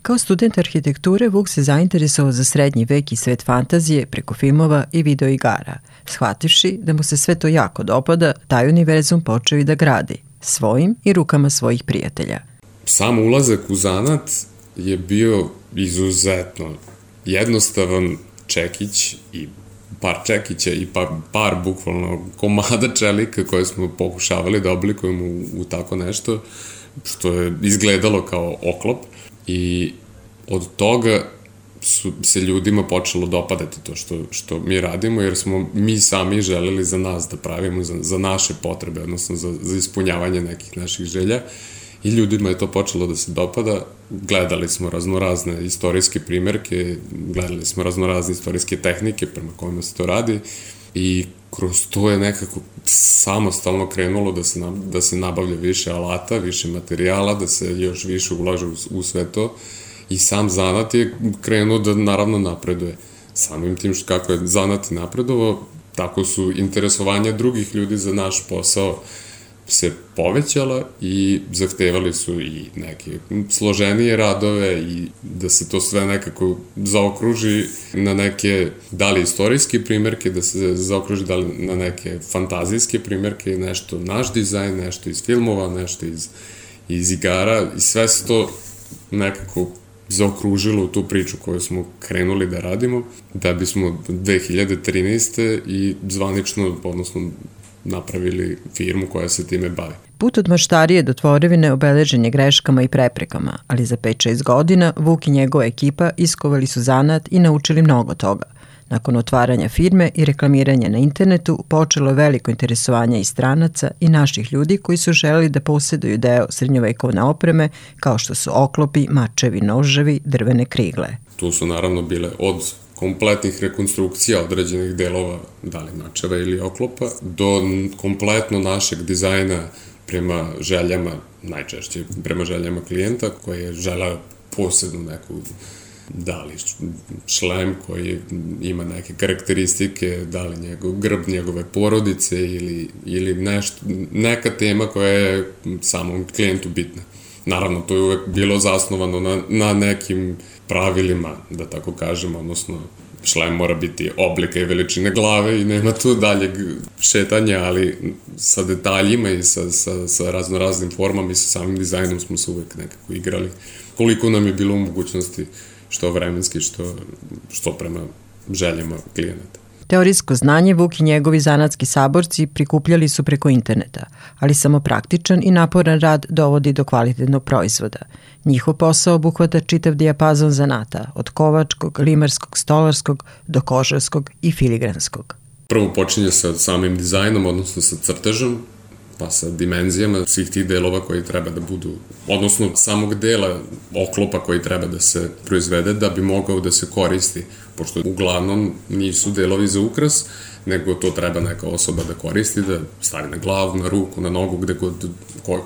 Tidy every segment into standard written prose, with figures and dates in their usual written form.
Kao student arhitekture, Vuk se zainteresovao za srednji vek i svet fantazije preko filmova i videoigara. Shvativši da mu se sve to jako dopada, taj univerzum počeo i da gradi, svojim i rukama svojih prijatelja. Sam ulazak u zanat je bio izuzetno jednostavan čekić i par čekića i par bukvalno komada čelika koje smo pokušavali da oblikujemo u tako nešto što je izgledalo kao oklop i od toga se ljudima počelo dopadati to što mi radimo, jer smo mi sami želeli za nas da pravimo, za naše potrebe, odnosno za ispunjavanje nekih naših želja i ljudima je to počelo da se dopada. Gledali smo raznorazne istorijske primjerke, gledali smo raznorazne istorijske tehnike prema kojima se to radi i kroz to je nekako samostalno krenulo da se nabavlja više alata, više materijala, da se još više ulaže u sve to i sam zanat je krenuo da naravno napreduje. Samim tim kako je zanat napredovao, tako su interesovanja drugih ljudi za naš posao se povećala i zahtevali su i neke složenije radove i da se to sve nekako zaokruži na neke, da li istorijske primjerke, da se zaokruži da li na neke fantazijske primjerke, nešto naš dizajn, nešto iz filmova, nešto iz igara i sve se to nekako zaokružilo u tu priču koju smo krenuli da radimo, da bismo 2013. i zvanično, odnosno napravili firmu koja se time bavi. Put od maštarije do tvorevine obeležen je greškama i preprekama, ali za 5-6 godina Vuk i njegova ekipa iskovali su zanat i naučili mnogo toga. Nakon otvaranja firme i reklamiranja na internetu počelo je veliko interesovanje i stranaca i naših ljudi koji su želeli da posjeduju deo srednjovekovne opreme kao što su oklopi, mačevi, noževi, drvene krigle. Tu su naravno bile od kompletnih rekonstrukcija određenih delova, da li mačeva ili oklopa, do kompletno našeg dizajna prema željama, najčešće prema željama klijenta koji je želeo posebnu neku, da li šlem koji ima neke karakteristike, da li grb njegove porodice ili neka tema koja je samom klijentu bitna. Naravno, to je uvek bilo zasnovano na nekim pravilima, da tako kažem, odnosno šlem mora biti oblika i veličine glave i nema tu daljeg šetanja, ali sa detaljima i sa raznoraznim formama i sa samim dizajnom smo se uvek nekako igrali. Koliko nam je bilo u mogućnosti, što vremenski, što prema željama klijenata. Teorijsko znanje Vuk i njegovi zanatski saborci prikupljali su preko interneta, ali samo praktičan i naporan rad dovodi do kvalitetnog proizvoda. Njihov posao obuhvata čitav dijapazon zanata, od kovačkog, limarskog, stolarskog do kožarskog i filigranskog. Prvo počinje sa samim dizajnom, odnosno sa crtežom, pa sa dimenzijama svih tih delova koji treba da budu, odnosno samog dela oklopa koji treba da se proizvede da bi mogao da se koristi, pošto uglavnom nisu delovi za ukras, nego to treba neka osoba da koristi, da stavi na glavu, na ruku, na nogu, gde god,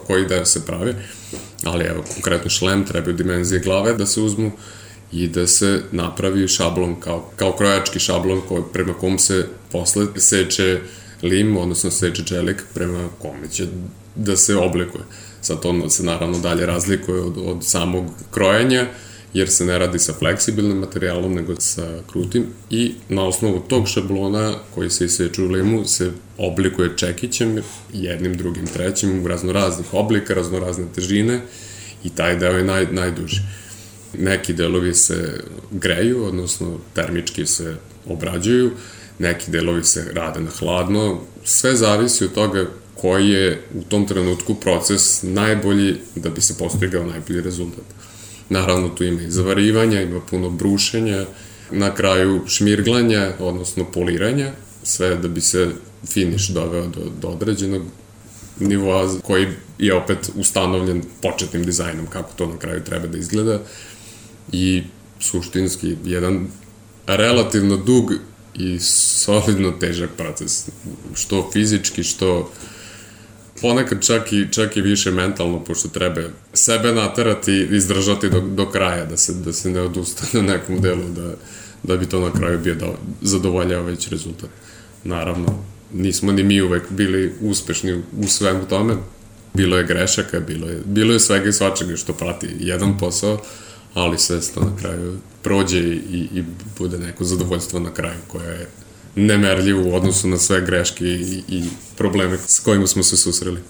koji da se pravi. Ali evo, konkretno šlem, trebaju dimenzije glave da se uzmu i da se napravi šablon kao krojački šablon prema kom se posle seče lim, odnosno seče čelik prema kome će da se oblikuje. Sad to se naravno dalje razlikuje od samog krojenja, jer se ne radi sa fleksibilnim materijalom, nego sa krutim i na osnovu tog šablona koji se iseče u limu se oblikuje čekićem, jednim, drugim, trećim, u raznoraznih oblika, raznorazne težine i taj deo je najduži. Neki delovi se greju, odnosno termički se obrađuju, neki delovi se rade na hladno, sve zavisi od toga koji je u tom trenutku proces najbolji da bi se postigao najbolji rezultat. Naravno, tu ima i zavarivanja, ima puno brušenja, na kraju šmirglanja, odnosno poliranja, sve da bi se finiš doveo do određenog nivoa koji je opet ustanovljen početnim dizajnom, kako to na kraju treba da izgleda i suštinski jedan relativno dug i solidno težak proces, što fizički, što ponekad čak i više mentalno, pošto treba sebe naterati i izdržati do kraja, da se ne odustane na nekom delu, da bi to na kraju bio zadovoljavajući rezultat. Naravno, nismo ni mi uvek bili uspešni u svemu tome, bilo je grešaka, bilo je svega i svačega što prati jedan posao, ali sve to na kraju prođe i bude neko zadovoljstvo na kraju koje je nemerljivo u odnosu na sve greške i probleme s kojima smo se susreli.